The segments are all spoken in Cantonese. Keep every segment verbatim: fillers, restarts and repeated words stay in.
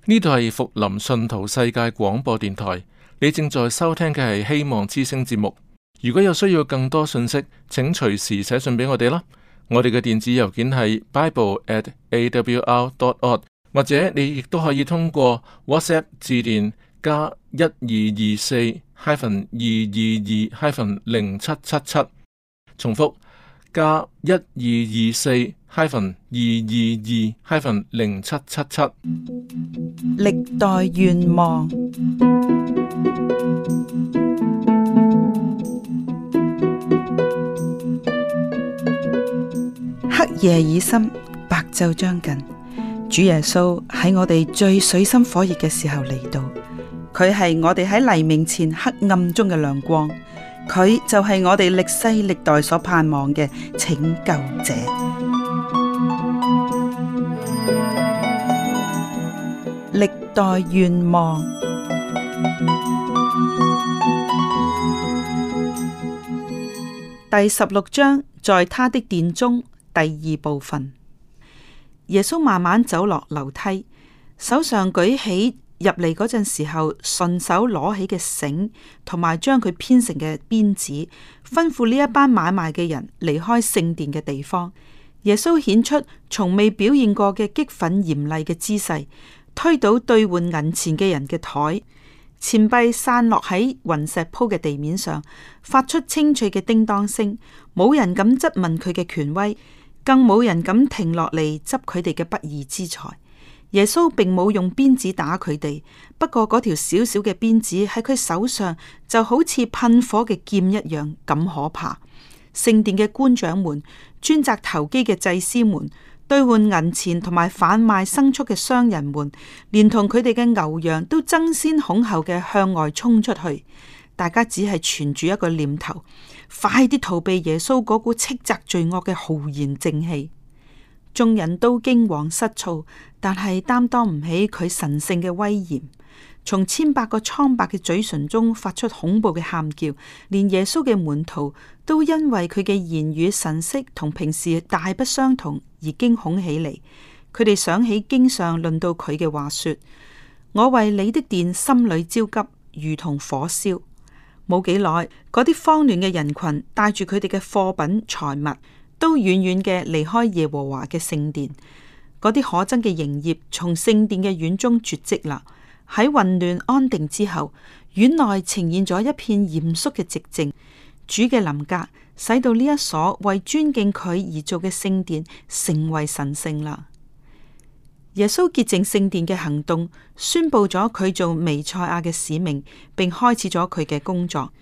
呢度係福林信徒世界廣播電台，你正在收聽嘅係希望之聲節目。如果有需要更多信息，請隨時寫信俾我哋啦。我哋嘅電子郵件係 bible at a w r dot org， 或者你亦都可以通過 WhatsApp 致電加一二二四 hyphen 二二二 hyphen 零七七七，重複加一二二四 hyphen 二二二 hyphen 零七七七。歷代願望。黑夜已深，白晝將近。主耶穌喺我哋最水深火熱嘅時候嚟到，佢係我哋喺黎明前黑暗中嘅亮光，佢就係我哋歷世歷代所盼望嘅拯救者。歷代願望第十六章，在他的殿中。第二部分，耶穌慢慢走落樓梯，手上舉起入嚟嗰陣時候順手攞起嘅繩，同埋將佢編成嘅鞭子，吩咐呢一班買賣嘅人離開聖殿嘅地方。耶穌顯出從未表現過嘅激憤嚴厲嘅姿勢，推倒兌換銀錢嘅人嘅台，錢幣散落喺雲石鋪嘅地面上，發出清脆嘅叮當聲。冇人敢質問佢嘅權威，更冇人敢停落嚟執佢哋嘅不義之財。耶穌並冇用鞭子打佢哋，不過嗰條小小嘅鞭子喺佢手上就好似噴火嘅劍一樣咁可怕。聖殿嘅官長們、專責投機嘅祭司們、兌換銀錢同埋販賣牲畜嘅商人們，連同佢哋嘅牛羊都爭先恐後嘅向外衝出去。大家只係存住一個念頭：快啲逃避耶穌嗰股斥責罪惡嘅浩然正氣。眾人都驚惶失措，但係擔當唔起佢神聖嘅威嚴。從千百個蒼白嘅嘴唇中發出恐怖嘅喊叫，連耶穌嘅門徒都因為佢嘅言語神色同平時大不相同而驚恐起嚟。佢哋想起經上論到佢嘅話說：我為你的殿心裏焦急，如同火燒。冇幾耐，嗰啲慌亂嘅人群帶住佢哋嘅貨品財物，都遠遠嘅離開耶和華嘅聖殿。嗰啲可憎嘅營業從聖殿嘅院中絕迹啦。喺混亂安定之後，院內呈現咗一片嚴肅嘅寂靜。主嘅臨格使到呢一所為尊敬佢而做嘅聖殿成為神聖啦。耶穌潔淨聖殿嘅行動，宣布咗佢做彌賽亞嘅使命，並開始咗佢嘅工作。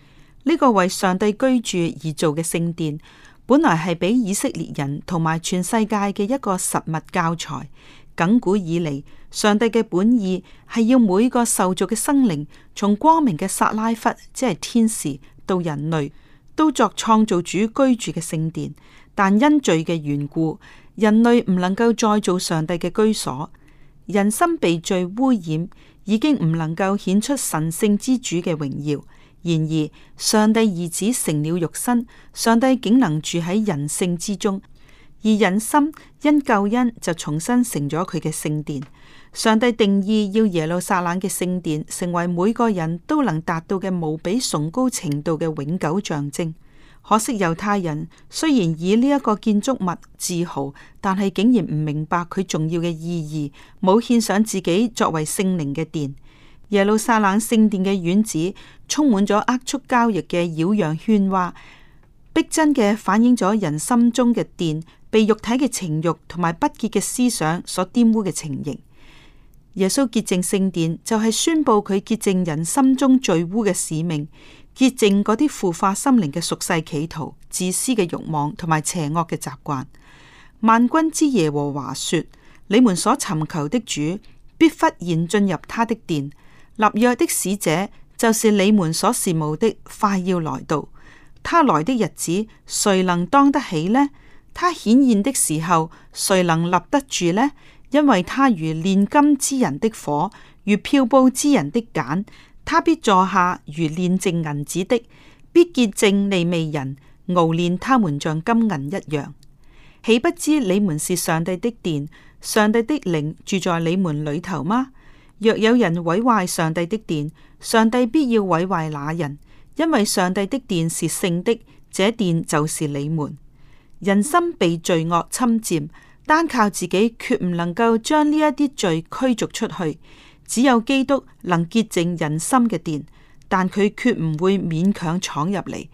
呢個為上帝居住而做嘅聖殿，本來係俾以色列人同埋全世界嘅一個實物教材。亙古以嚟，上帝嘅本意係要每個受造嘅生靈，從光明嘅撒拉弗，即係天使，到人類，都作創造主居住嘅聖殿。但因罪嘅緣故，人類唔能夠再做上帝嘅居所，人心被罪污染，已經唔能夠顯出神聖之主嘅榮耀。然而，上帝兒子成了肉身，上帝竟能住喺人性之中，而人心因救恩就重新成咗佢嘅聖殿。上帝定義要耶路撒冷嘅聖殿成為每個人都能達到嘅無比崇高程度嘅永久象徵。可惜猶太人雖然以呢一個建築物自豪，但係竟然唔明白佢重要嘅意義，冇獻上自己作為聖靈嘅殿。耶路撒冷聖殿嘅院子充滿咗齷齪交易嘅擾攘喧嘩，逼真嘅反映咗人心中嘅殿被肉體嘅情慾同埋不潔嘅思想所玷污嘅情形。耶穌潔淨聖殿就係宣布佢潔淨人心中罪污嘅使命，潔淨嗰啲腐化心靈嘅俗世企圖、自私嘅慾望同埋邪惡嘅習慣。萬軍之耶和華說：你們所尋求的主必忽然進入他的殿，立約的使者就是你們所羨慕的，快要來到。他來的日子，誰能當得起呢？他顯現的時候，誰能立得住呢？因為他如煉金之人的火，如漂布之人的鹼，他必坐下如煉淨銀子的，必潔淨利未人，熬煉他們像金銀一樣。豈不知你們是上帝的殿，上帝的靈住在你們裏頭嗎？若有人毀壞上帝的殿，上帝必要毀壞那人，因為上帝的殿是聖的，這殿就是你們。人心被罪惡侵佔，單靠自己決唔能夠將呢一啲罪驅逐出去。只有基督能潔淨人心嘅殿，但佢決唔會勉強闖入嚟。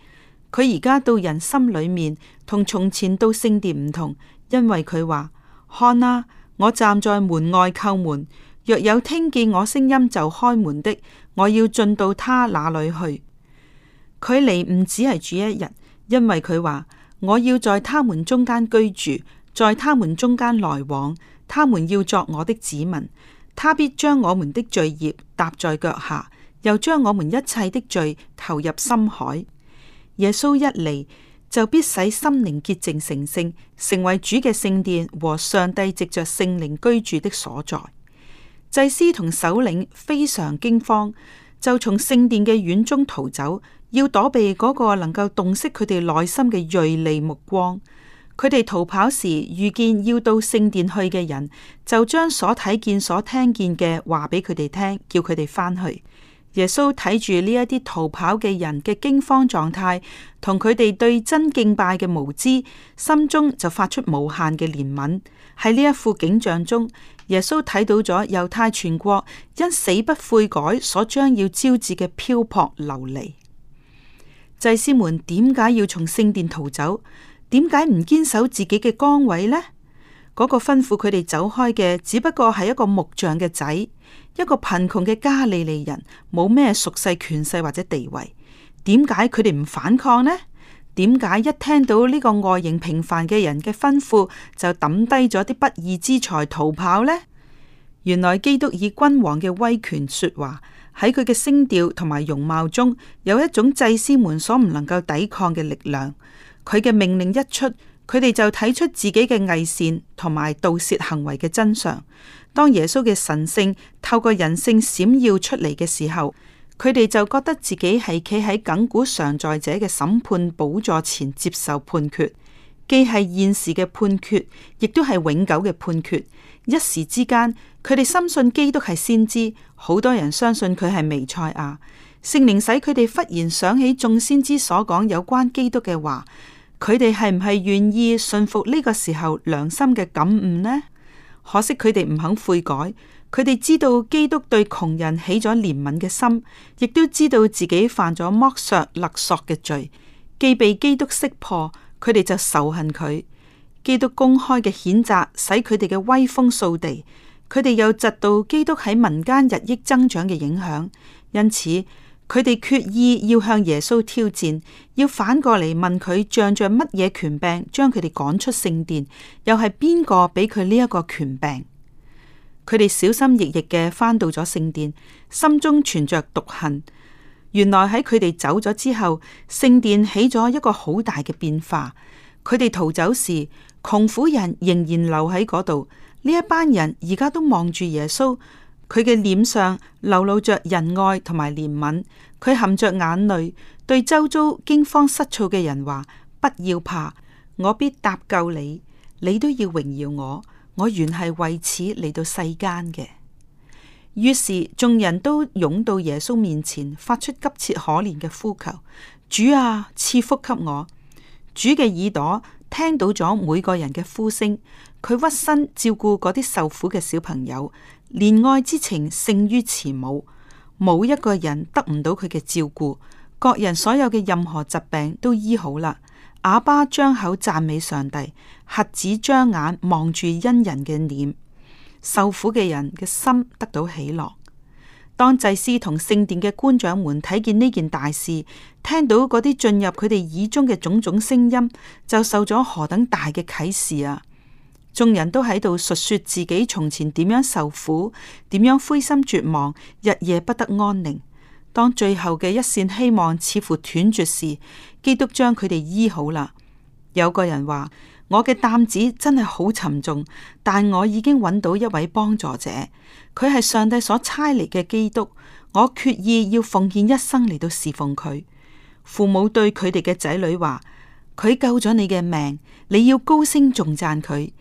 佢而家到人心裏面，同從前到聖殿唔同，因為佢話：看啊，我站在門外叩門，若有聽見我聲音就開門的，我要進到他那裏去。佢嚟唔只係住一日，因為佢話：我要在他們中間居住，在他們中間來往，他們要作我的子民。他必將我們的罪孽踏在腳下，又將我們一切的罪投入深海。耶穌一嚟，就必使心靈潔淨成聖，成為主嘅聖殿和上帝藉着聖靈居住的所在。祭司同首領非常驚慌，就從聖殿嘅院中逃走，要躲避嗰個能夠洞悉佢哋內心嘅銳利目光。佢哋逃跑時遇見要到聖殿去嘅人，就將所睇見、所聽見嘅話俾佢哋聽，叫佢哋返去。耶穌睇住呢一啲逃跑嘅人嘅驚慌狀態，同佢哋對真敬拜嘅無知，心中就發出無限嘅憐憫。喺呢一副景象中，耶穌睇到咗猶太全國因死不悔改所將要招致嘅漂泊流離。祭司們點解要從聖殿逃走？點解唔堅守自己嘅崗位呢？嗰個吩咐佢哋走開嘅，只不過係一個木匠嘅仔，一個貧窮嘅加利利人，冇咩屬世權勢或者地位。點解佢哋唔反抗呢？點解一聽到呢個外形平凡嘅人嘅吩咐，就抌低咗啲不義之財逃跑呢？原來基督以君王嘅威權說話，喺佢嘅聲調同埋容貌中，有一種祭司們所唔能夠抵抗嘅力量。佢嘅命令一出，佢哋就睇出自己嘅偽善同埋盜竊行為嘅真相。當耶穌嘅神性透過人性閃耀出嚟嘅時候，佢哋就覺得自己係企喺亘古常在者嘅審判寶座前接受判決，既係現時嘅判決，亦都係永久嘅判決。一時之間，佢哋深信基督係先知，好多人相信佢係彌賽亞。聖靈使佢哋忽然想起眾先知所講有關基督嘅話。佢哋係唔係願意信服呢個時候良心嘅感悟呢？可惜佢哋唔肯悔改。佢哋知道基督對窮人起咗憐憫嘅心，亦都知道自己犯咗剝削勒索嘅罪。既被基督識破，佢哋就仇恨佢。基督公開嘅譴責使佢哋嘅威風掃地。佢哋又窒到基督喺民間日益增長嘅影響，因此，佢哋決意要向耶穌挑戰，要反過嚟問佢仗着乜嘢權柄將佢哋趕出聖殿，又係邊個俾佢呢一個權柄？佢哋小心翼翼嘅返到咗聖殿，心中存着毒恨。原來喺佢哋走咗之後，聖殿起咗一個好大嘅變化。佢哋逃走時，窮苦人仍然留喺嗰度。呢一班人而家都望住耶穌。佢嘅臉上流露着仁愛同埋憐憫，佢含着眼淚對周遭驚慌失措嘅人話：不要怕，我必搭救你，你都要榮耀我，我原係為此嚟到世間嘅。於是眾人都湧到耶穌面前，發出急切可憐嘅呼求：主啊，賜福給我。主嘅耳朵聽到咗每個人嘅呼聲，佢屈身照顧嗰啲受苦嘅小朋友。憐愛之情勝於慈母，冇一個人得唔到佢嘅照顧，各人所有嘅任何疾病都醫好啦。啞巴張口讚美上帝，瞎子張眼望住恩人嘅臉，受苦嘅人嘅心得到喜樂。當祭司同聖殿嘅官長們睇見呢件大事，聽到嗰啲進入佢哋耳中嘅種種聲音，就受咗何等大嘅啟示啊！眾人都喺度述說自己從前點樣受苦，點樣灰心絕望，日夜不得安寧。當最後嘅一線希望似乎斷絕時，基督將佢哋醫好啦。有個人話：我嘅擔子真係好沉重，但我已經揾到一位幫助者，佢係上帝所差嚟嘅基督。我決意要奉獻一生嚟到侍奉佢。父母對佢哋嘅仔女話：佢救咗你嘅命，你要高聲頌讚佢。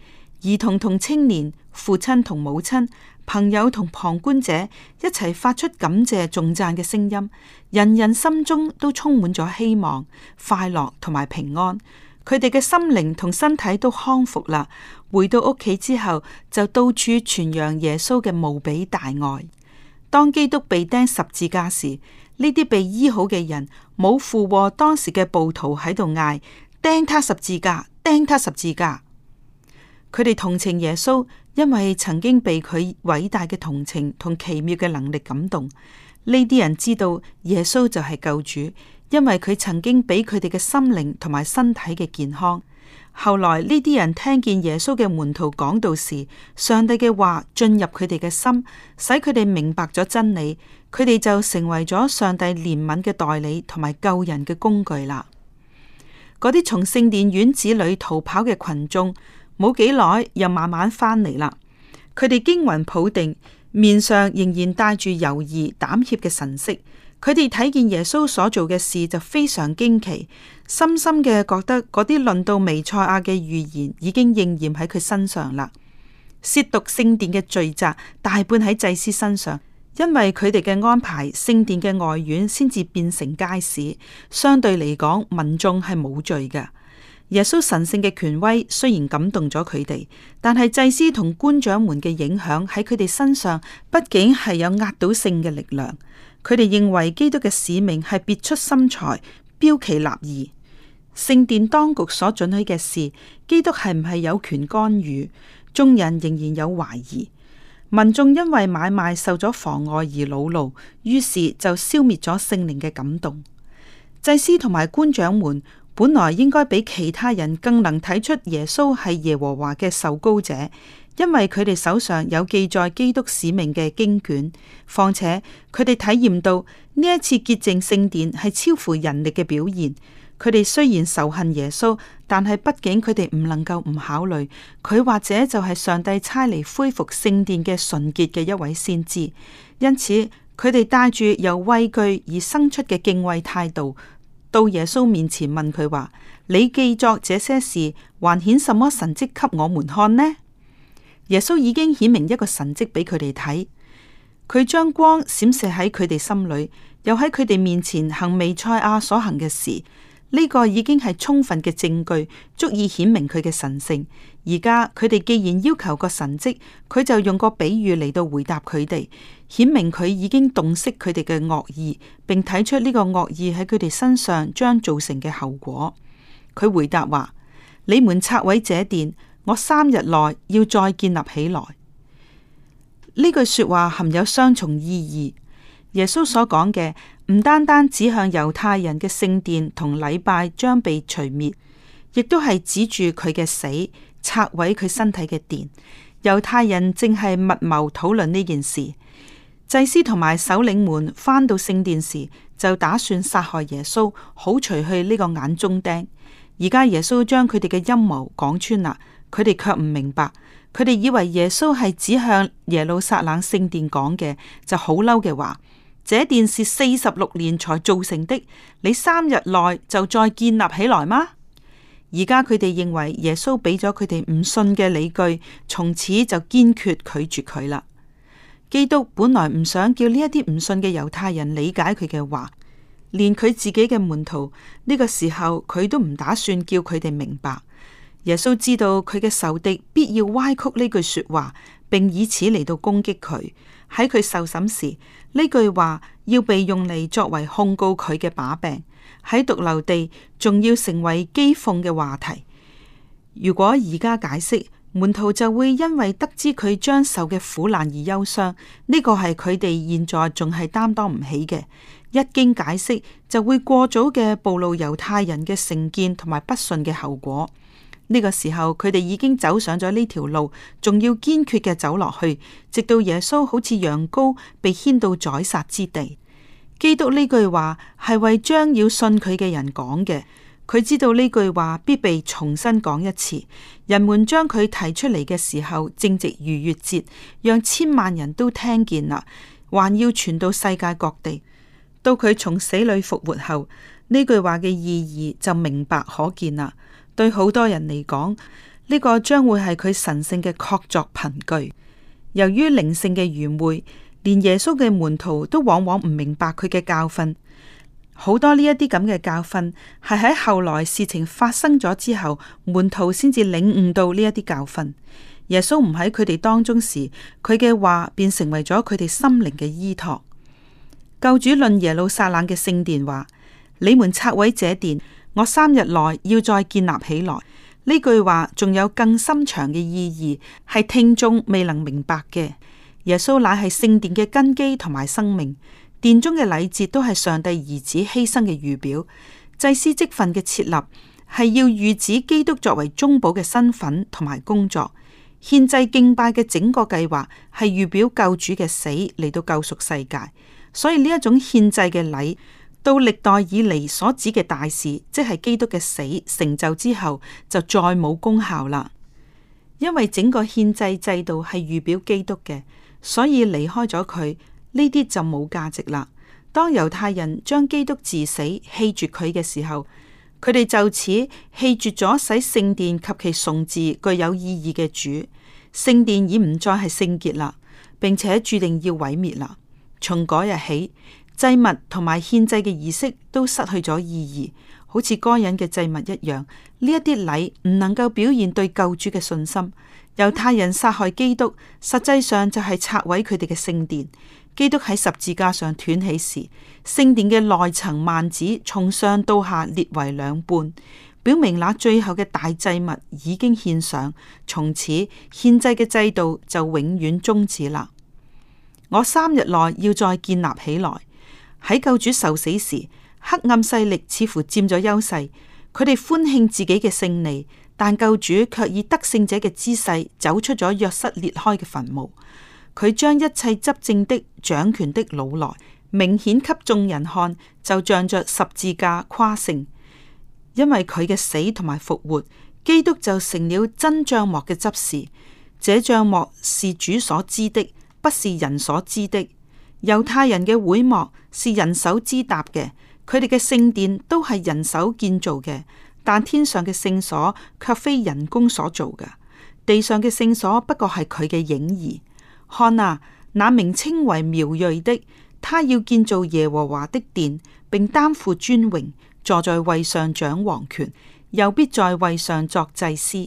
兒童同青年、父親同母親，朋友同旁觀者一齊發出感謝頌讚嘅聲音，人人心中都充滿咗希望、快樂同埋平安。佢哋嘅心靈同身體都康復啦。回到屋企之後，就到處傳揚耶穌嘅無比大愛。當基督被釘十字架時，呢啲被醫好嘅人冇附和當時嘅暴徒喺度嗌：釘他十字架，釘他十字架。佢哋同情耶穌，因為曾經被佢偉大嘅同情同奇妙嘅能力感動。呢啲人知道耶穌就係救主，因為佢曾經俾佢哋嘅心靈同埋身體嘅健康。後來呢啲人聽見耶穌嘅門徒講道時，上帝嘅話進入佢哋嘅心，使佢哋明白咗真理，佢哋就成為咗上帝憐憫嘅代理同埋救人嘅工具啦。嗰啲從聖殿院子裏逃跑嘅群眾，冇幾耐又慢慢翻嚟啦。佢哋驚魂甫定，面上仍然帶住猶豫膽怯嘅神色。佢哋睇見耶穌所做嘅事就非常驚奇，深深嘅覺得嗰啲論到彌賽亞嘅預言已經應驗喺佢身上啦。褻瀆聖殿嘅罪責大半喺祭司身上，因為佢哋嘅安排，聖殿嘅外院先至變成街市，相對嚟講，民眾係冇罪嘅。耶穌神聖嘅權威雖然感動咗佢哋，但係祭司同官長們嘅影響喺佢哋身上，畢竟係有壓倒性嘅力量。佢哋認為基督嘅使命係別出心裁、標奇立異。聖殿當局所准許嘅事，基督係唔係有權干預？眾人仍然有懷疑。民眾因為買賣受咗妨礙而惱怒，於是就消滅咗聖靈嘅感動。祭司同埋官長們本來應該比其他人更能睇出耶穌係耶和華嘅受膏者，因為佢哋手上有記載基督使命嘅經卷。況且佢哋體驗到呢一次潔淨聖殿係超乎人力嘅表現。佢哋雖然仇恨耶穌，但係畢竟佢哋唔能夠唔考慮佢或者就係上帝差嚟恢復聖殿嘅純潔嘅一位先知。因此佢哋帶住由畏懼而生出嘅敬畏態度，到耶穌面前問佢話：你記作這些事，還顯什麼神蹟給我們看呢？耶穌已經顯明一個神蹟俾佢哋睇，佢將光閃射喺佢哋心裏，又喺佢哋面前行彌賽亞所行嘅事。呢個已經係充分嘅證據，足以顯明佢嘅神聖。而家佢哋既然要求個神蹟，佢就用個比喻嚟到回答佢哋，顯明佢已經洞悉佢哋嘅惡意，並睇出呢個惡意喺佢哋身上將造成嘅後果。佢回答話：你們拆毀這殿，我三日內要再建立起來。呢句說話含有雙重意義。耶穌所講嘅唔單單指向猶太人嘅聖殿同禮拜將被除滅，亦都係指住佢嘅死，拆毀佢身體嘅殿。猶太人正係密謀討論呢件事。祭司同埋首領們返到聖殿時，就打算殺害耶穌，好除去呢個眼中釘。而家耶穌將佢哋嘅陰謀講穿啦，佢哋卻唔明白。佢哋以為耶穌係指向耶路撒冷聖殿講嘅，就好嬲嘅話：這殿是四十六年才造成的，你三日內就再建立起來嗎？而家佢哋認為耶穌俾咗佢哋唔信嘅理據，從此就堅決拒絕佢啦。基督本來唔想叫呢一啲唔信嘅猶太人理解佢嘅話，連佢自己嘅門徒呢個時候，佢都唔打算叫佢哋明白。耶穌知道佢嘅仇敵必要歪曲呢句說話，並以此嚟到攻擊佢。喺佢受審時，呢句話要被用嚟作為控告佢嘅把柄，喺髑髏地仲要成為譏諷嘅話題。如果而家解釋，門徒就會因為得知佢將受嘅苦難而憂傷，呢個係佢哋現在仲係擔當唔起嘅。一經解釋，就會過早嘅暴露猶太人嘅成見同埋不信嘅後果。呢個時候，佢哋已經走上咗呢條路，仲要堅決嘅走落去，直到耶穌好似羊羔被牽到宰殺之地。基督呢句話係為將要信佢嘅人講嘅，佢知道呢句話必被重新講一次。人們將佢提出嚟嘅時候，正值逾越節，讓千萬人都聽見啦，還要傳到世界各地。到佢從死裏復活後，呢句話嘅意義就明白可見啦。對好多人嚟講，呢個將會係佢神聖嘅確鑿憑據。由於靈性嘅愚昧，連耶穌嘅門徒都往往唔明白佢嘅教訓。好多呢一啲咁嘅教訓係喺後來事情發生咗之後，門徒先至領悟到呢一啲教訓。耶穌唔喺佢哋當中時，佢嘅話便成為咗佢哋心靈嘅依託。救主論耶路撒冷嘅聖殿話：你們拆毀這殿，我三日內要再建立起來。呢句話仲有更深長嘅意義，係聽眾未能明白嘅。耶穌乃係聖殿嘅根基同埋生命。殿中嘅禮節都係上帝兒子犧牲嘅預表，祭司職分嘅設立係要預指基督作為中保嘅身份同埋工作，獻祭敬拜嘅整個計劃係預表救主嘅死嚟到救贖世界。所以呢一種獻祭嘅禮，到歷代以嚟所指嘅大事，即係基督嘅死成就之後，就再冇功效啦。因為整個獻祭制度係預表基督嘅，所以離開咗佢，呢啲就冇價值啦。當猶太人將基督治死棄絕佢嘅時候，佢哋就此棄絕咗使聖殿及其崇治具有意義嘅主。聖殿已唔再係聖潔啦，並且注定要毀滅啦。從嗰日起，祭物同埋獻祭嘅儀式都失去咗意義，好似該隱嘅祭物一樣。呢一啲禮唔能夠表現對救主嘅信心。猶太人殺害基督，實際上就係拆毀佢哋嘅聖殿。基督喺十字架上斷氣時，聖殿嘅內層幔子從上到下裂為兩半，表明那最後嘅大祭物已經獻上，從此獻祭嘅制度就永遠終止啦。我三日內要再建立起來。喺救主受死時，黑暗勢力似乎佔咗優勢，佢哋歡慶自己嘅勝利，但救主卻以得勝者嘅姿勢走出咗約瑟裂開嘅墳墓。佢將一切執政的、掌權的擄來，明顯給眾人看，就仗着十字架誇勝。因為佢嘅死同埋復活，基督就成了真帳幕嘅執事。這帳幕是主所知的，不是人所知的。猶太人嘅會幕是人手支搭嘅，佢哋嘅聖殿都係人手建造嘅，但天上嘅聖所卻非人工所做嘅，地上嘅聖所不過係佢嘅影兒。看啊，那名稱為苗裔的，他要建造耶和華的殿，並擔負尊榮，坐在位上掌王權，又必在位上作祭司。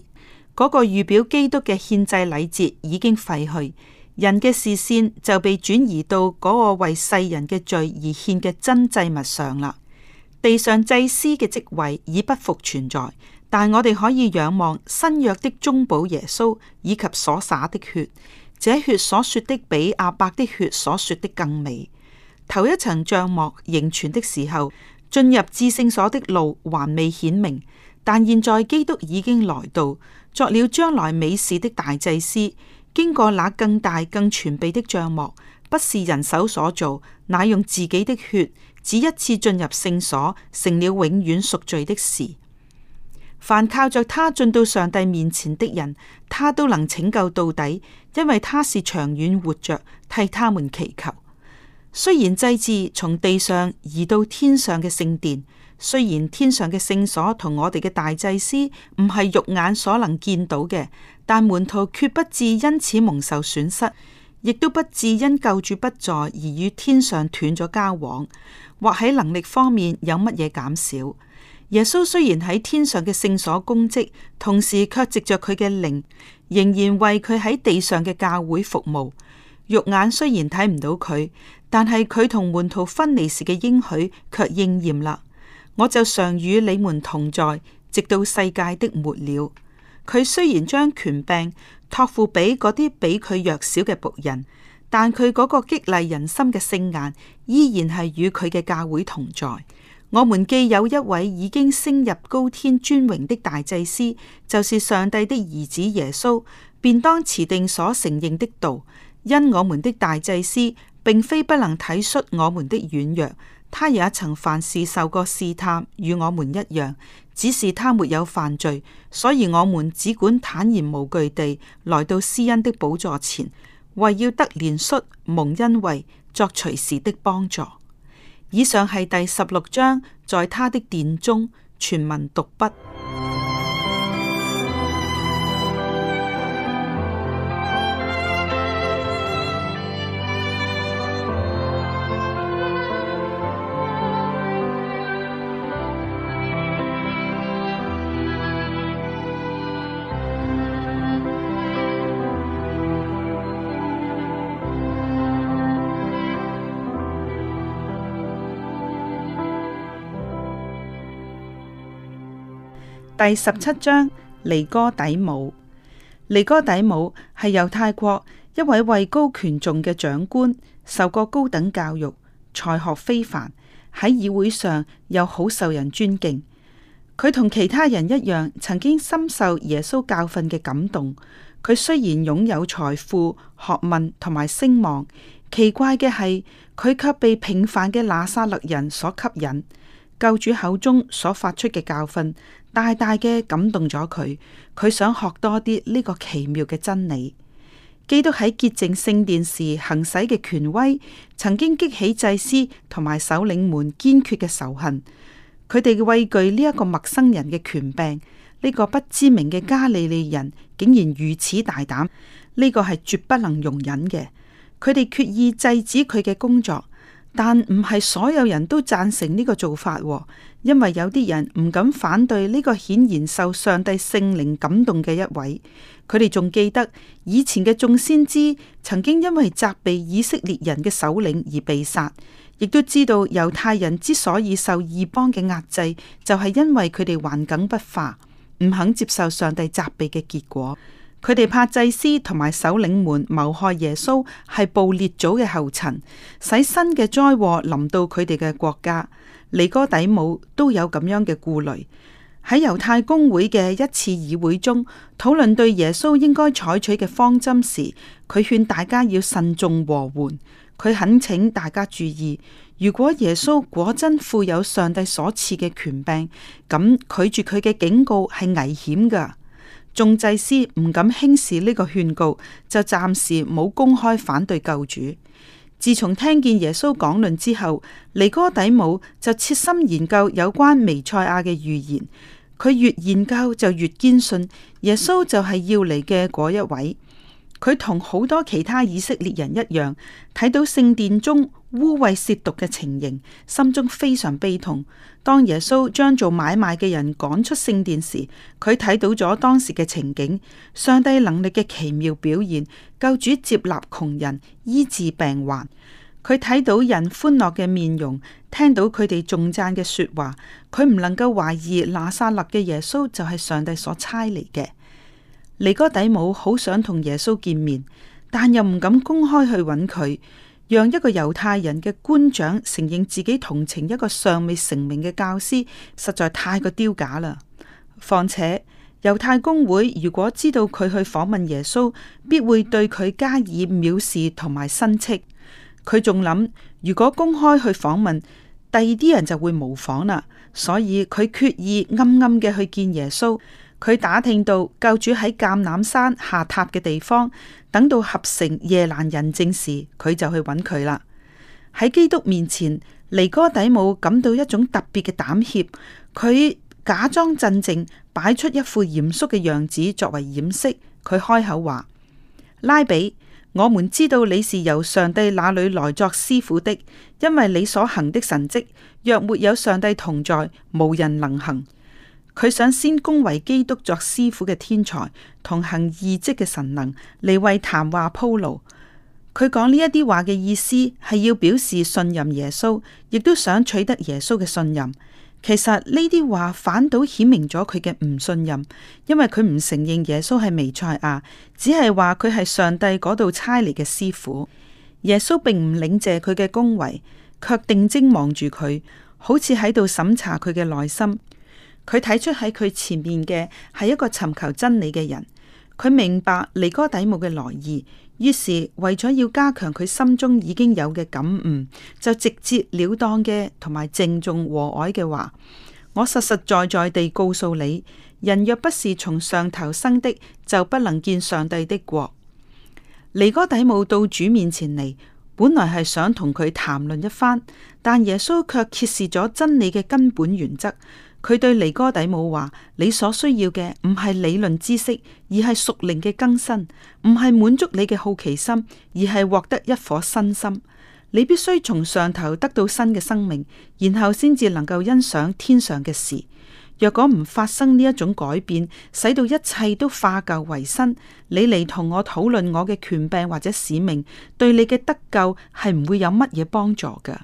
嗰、那個預表基督嘅獻祭禮節已經廢去，人嘅視線就被轉移到嗰個為世人嘅罪而獻嘅真祭物上啦。地上祭司嘅職位已不復存在，但我哋可以仰望新約的中保耶穌以及所灑的血。這血所說的比亞伯的血所說的更美。頭一層帳幕仍存的時候，進入至聖所的路還未顯明，但現在基督已經來到，作了將來美事的大祭司。經過那更大更全備的帳幕，不是人手所做，乃用自己的血，只一次進入聖所，成了永遠贖罪的事。凡靠着他進到上帝面前的人，他都能拯救到底，因為他是長遠活着，替他們祈求。雖然祭祀從地上移到天上嘅聖殿，雖然天上嘅聖所同我哋嘅大祭司唔係肉眼所能見到嘅，但門徒決不至因此蒙受損失，亦都不至因救主不在而與天上斷咗交往，或喺能力方面有乜嘢減少。耶穌雖然喺天上嘅聖所供職，同時卻藉着佢嘅靈，仍然為佢喺地上嘅教會服務。肉眼雖然睇唔到佢，但係佢同門徒分離時嘅應許卻應驗啦。我就常與你們同在，直到世界的末了。佢雖然將權柄託付俾嗰啲比佢弱小嘅僕人，但佢嗰個激勵人心嘅聖顏，依然係與佢嘅教會同在。我們既有一位已經升入高天尊榮的大祭司，就是上帝的兒子耶穌，便當持定所承認的道。因我們的大祭司並非不能體恤我們的軟弱，他也曾凡事受過試探，與我們一樣，只是他沒有犯罪，所以我們只管坦然無懼地來到施恩的寶座前，為要得憐恤、蒙恩惠、作隨時的幫助。以上係第十六章，在他的殿中，全文讀畢。第十七章，尼哥底母。尼哥底母係猶太國一位位高權重嘅長官，受過高等教育，才學非凡，喺議會上又好受人尊敬。佢同其他人一樣，曾經深受耶穌教訓嘅感動。佢雖然擁有財富、學問同埋聲望，奇怪嘅係佢卻被平凡嘅拿撒勒人所吸引。救主口中所發出嘅教訓，大大嘅感動咗佢。佢想學多啲呢個奇妙嘅真理。基督喺潔淨聖殿時行使嘅權威，曾經激起祭司同埋首領們堅決嘅仇恨。佢哋畏懼呢一個陌生人嘅權柄，呢個不知名嘅加利利人竟然如此大膽，呢個係絕不能容忍嘅。佢哋決意制止佢嘅工作。但唔係所有人都贊成呢個做法，因為有啲人唔敢反對呢個顯然受上帝聖靈感動嘅一位。佢哋仲記得以前嘅眾先知曾經因為責備以色列人嘅首領而被殺，亦都知道猶太人之所以受異邦嘅壓制，就係因為佢哋頑梗不化，唔肯接受上帝責備嘅結果。佢哋怕祭司同埋首領們謀害耶穌係步列祖嘅後塵，使新嘅災禍臨到佢哋嘅國家。尼哥底母都有咁樣嘅顧慮。喺猶太公會嘅一次議會中，討論對耶穌應該採取嘅方針時，佢勸大家要慎重和緩。佢懇請大家注意，如果耶穌果真負有上帝所賜嘅權柄，咁拒絕佢嘅警告係危險㗎。眾祭司唔敢輕視呢個勸告，就暫時冇公開反對救主。自從聽見耶穌講論之後，尼哥底母就切心研究有關彌賽亞嘅預言。佢越研究就越堅信耶穌就係要嚟嘅嗰一位。佢同好多其他以色列人一樣，睇到聖殿中污穢褻瀆嘅情形，心中非常悲痛。當耶穌將做買賣嘅人趕出聖殿時，佢睇到咗當時嘅情景，上帝能力嘅奇妙表現，救主接納窮人，醫治病患。佢睇到人歡樂嘅面容，聽到佢哋頌讚嘅說話，佢唔能夠懷疑拿撒勒嘅耶穌就係上帝所差嚟嘅。尼哥底母好想同耶穌見面，但又唔敢公開去揾佢，讓一個猶太人嘅官長承認自己同情一個尚未成名嘅教師，實在太過丟架啦。況且猶太公會如果知道佢去訪問耶穌，必會對佢加以藐視同埋申斥。佢仲諗，如果公開去訪問，第二啲人就會模仿啦，所以佢決意暗暗嘅去見耶穌。佢打聽到救主喺橄欖山下榻嘅地方，等到合成夜闌人靜時，佢就去揾佢啦。喺基督面前，尼哥底母感到一種特別嘅膽怯，佢假裝鎮靜，擺出一副嚴肅嘅樣子作為掩飾。佢開口話：拉比，我們知道你是由上帝那裏來作師傅的，因為你所行的神蹟，若沒有上帝同在，無人能行。佢想先恭維基督作師傅嘅天才，同行異蹟嘅神能，嚟為談話鋪路。佢講呢一啲話嘅意思係要表示信任耶穌，亦都想取得耶穌嘅信任。其實呢啲話反倒顯明咗佢嘅唔信任，因為佢唔承認耶穌係彌賽亞，只係話佢係上帝嗰度差嚟嘅師傅。耶穌並唔領謝佢嘅恭維，卻定睛望住佢，好似喺度審查佢嘅內心。佢睇出喺佢前面嘅係一個尋求真理嘅人，佢明白尼哥底母嘅來意，於是為咗要加強佢心中已經有嘅感悟，就直接了當嘅同埋鄭重和藹嘅話：我實實在在地告訴你，人若不是從上頭生的，就不能見上帝的國。尼哥底母到主面前嚟，本來係想同佢談論一番，但耶穌卻揭示咗真理嘅根本原則。佢對尼哥底母話：你所需要嘅唔係理論知識，而係屬靈嘅更新；唔係滿足你嘅好奇心，而係獲得一顆新心。你必須從上頭得到新嘅生命，然後先至能夠欣賞天上嘅事。若果唔發生呢一種改變，使到一切都化舊為新，你嚟同我討論我嘅權柄或者使命，對你嘅得救係唔會有乜嘢幫助噶。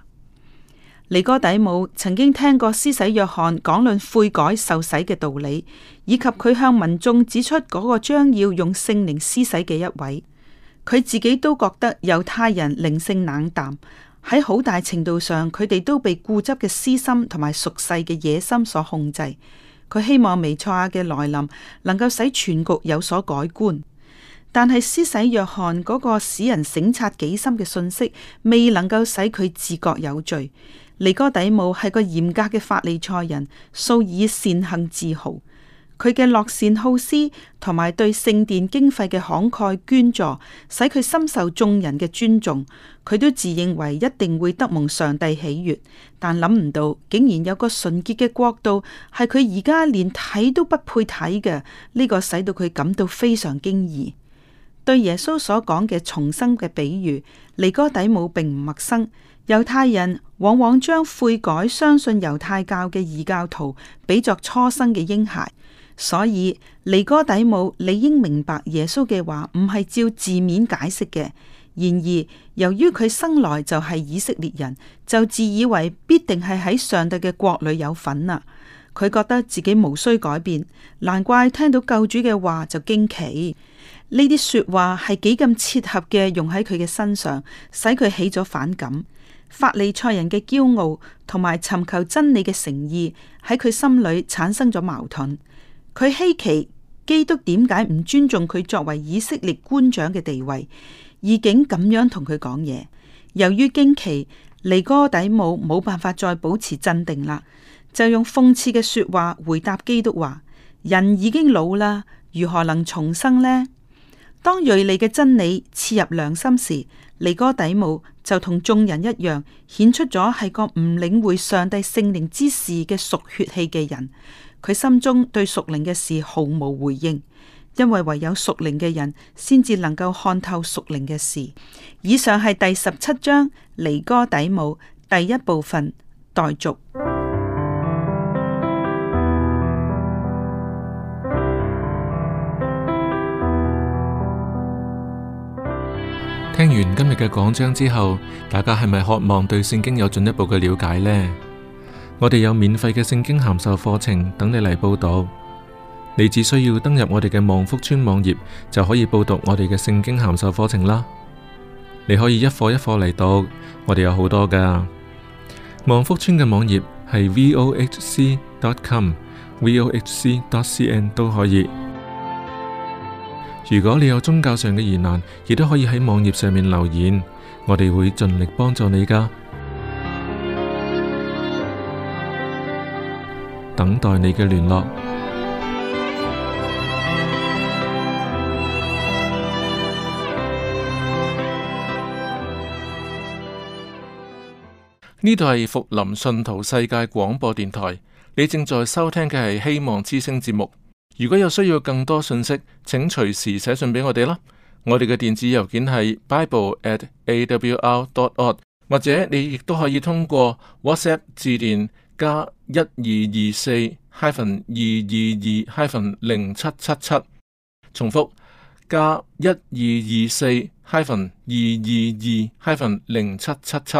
尼哥底母曾經聽過施洗約翰講論悔改受洗嘅道理，以及佢向民眾指出嗰個將要用聖靈施洗嘅一位。佢自己都覺得猶太人靈性冷淡，喺好大程度上佢哋都被固執嘅私心同埋俗世嘅野心所控制。佢希望彌賽亞嘅來臨能夠使全局有所改觀。但係施洗約翰嗰個使人省察己心嘅信息，未能夠使佢自覺有罪。尼哥底母係個嚴格嘅法利賽人，素以善行自豪。佢嘅樂善好施同埋對聖殿經費嘅慷慨捐助，使佢深受眾人嘅尊重。佢都自認為一定會得蒙上帝喜悅，但諗唔到竟然有個純潔嘅國度係佢而家連睇都不配睇嘅。呢個使到佢感到非常驚異。對耶穌所講嘅重生嘅比喻，尼哥底母並唔陌生。猶太人往往將悔改、相信猶太教嘅異教徒比作初生嘅嬰孩，所以尼哥底母理應明白耶穌嘅話唔係照字面解釋嘅。然而，由於佢生來就係以色列人，就自以為必定係喺上帝嘅國裏有份啊！佢覺得自己無需改變，難怪聽到救主嘅話就驚奇。呢啲說話係幾咁切合嘅，用喺佢嘅身上，使佢起咗反感。法利賽人嘅驕傲同埋尋求真理嘅誠意喺佢心裏產生咗矛盾。佢稀奇基督點解唔尊重佢作為以色列官長嘅地位，而竟咁樣同佢講嘢。由於驚奇，尼哥底母冇辦法再保持鎮定啦，就用諷刺嘅說話回答基督話：人已經老啦，如何能重生呢？當銳利嘅真理刺入良心時，尼哥底母就同眾人一樣，顯出咗係個唔領會上帝聖靈之事嘅屬血氣嘅人。佢心中對屬靈嘅事毫無回應，因為唯有屬靈嘅人先至能夠看透屬靈嘅事。以上係第十七章尼哥底母第一部分待續。聽完今日嘅講章之後，大家係咪渴望對聖經有進一步嘅了解呢？我哋有免費嘅聖經函授課程等你嚟報讀，你只需要登入我哋嘅望福村網頁就可以報讀我哋嘅聖經函授課程啦。你可以一課一課嚟讀，我哋有好多噶。望福村嘅網頁係 vohc dot com、vohc dot cn 都可以。如果你有宗教上嘅疑難，亦都可以喺網頁上面留言，我哋會盡力幫助你噶。等待你嘅聯絡。呢度係福林信徒世界廣播電台，你正在收聽嘅係希望之聲節目。如果有需要更多信息，請隨時寫信俾我哋啦。我哋嘅電子郵件係 bible at a w r dot org， 或者你亦都可以通過 WhatsApp 致電加一二二四二二二零七七七，重複加一二二四二二二零七七七。